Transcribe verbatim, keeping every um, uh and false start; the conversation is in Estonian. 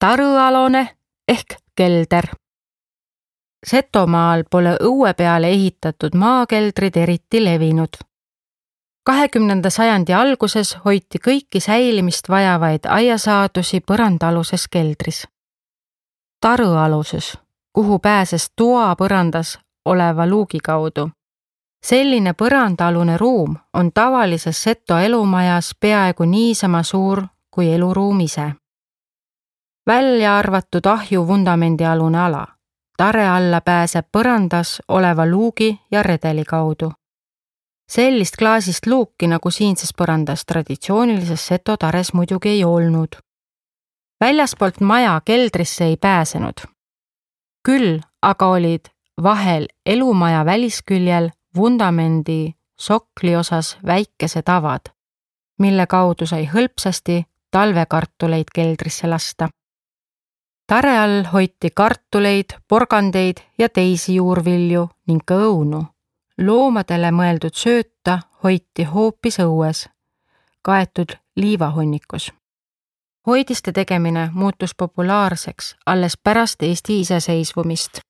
Tarõalone ehk kelder. Setomaal pole õue peale ehitatud maakeldrid eriti levinud. kahekümnenda sajandi alguses hoiti kõiki säilimist vajavaid aiasaadusi põrandaaluses keldris. Tarõaluses, kuhu pääses toa põrandas oleva luugi kaudu. Selline põrandaalune ruum on tavalises seto elumajas peaaegu niisama suur kui eluruum ise. Välja arvatud ahju vundamendialune ala. Tare alla pääseb põrandas oleva luugi ja redeli kaudu. Sellist klaasist luuki nagu siinses põrandas traditsioonilises seto tares muidugi ei olnud. Väljaspoolt maja keldrisse ei pääsenud. Küll aga olid vahel elumaja välisküljel vundamendi sokli osas väikesed avad, mille kaudu sai hõlpsasti talvekartuleid keldrisse lasta. Tare all hoiti kartuleid, porgandeid ja teisi juurvilju ning ka õunu. Loomadele mõeldud sööta hoiti hoopis õues, kaetud liivahunnikus. Hoidiste tegemine muutus populaarseks alles pärast Eesti iseseisvumist.